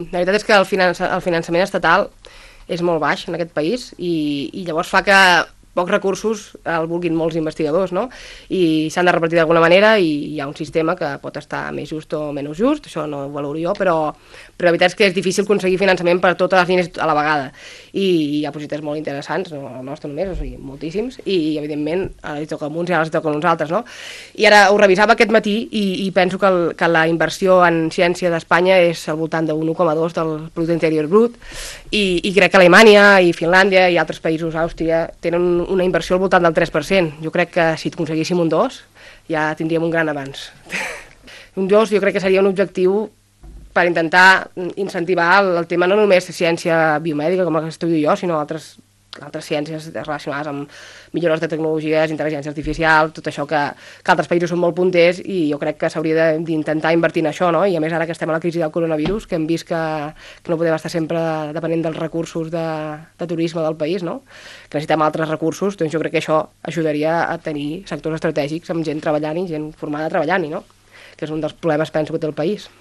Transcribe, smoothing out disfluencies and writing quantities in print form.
La veritat és que el finançament estatal és molt baix en aquest país i llavors fa que pocs recursos el vulguin molts investigadors, no? I s'han de repartir d'alguna manera i hi ha un sistema que pot estar més just o menys just, això no ho valoro jo, però la veritat és que és difícil aconseguir finançament per totes les línies a la vegada. I hi ha projectes molt interessants, no el nostre només, o sigui, moltíssims, i evidentment ara li toca a uns i ara els toca a uns altres, no? I ara ho revisava aquest matí i penso que la inversió en ciència d'Espanya és al voltant de 1,2 del producte interior brut i crec que Alemanya i Finlàndia i altres països, Àustria, tenen una inversió al voltant del 3%. Jo crec que si aconseguíssim un 2 ja tindríem un gran avanç. Un 2 jo crec que seria un objectiu per intentar incentivar el tema no només de ciència biomèdica, com la que estudio jo, sinó altres ciències relacionades amb millores de tecnologies, intel·ligència artificial, tot això que altres països són molt punters i jo crec que s'hauria d'intentar invertir en això, no? I a més ara que estem a la crisi del coronavirus, que hem vist que no podem estar sempre depenent dels recursos de turisme del país, no? Que necessitem altres recursos, doncs jo crec que això ajudaria a tenir sectors estratègics amb gent treballant i gent formada treballant-hi, no? Que és un dels problemes, penso, que té el país.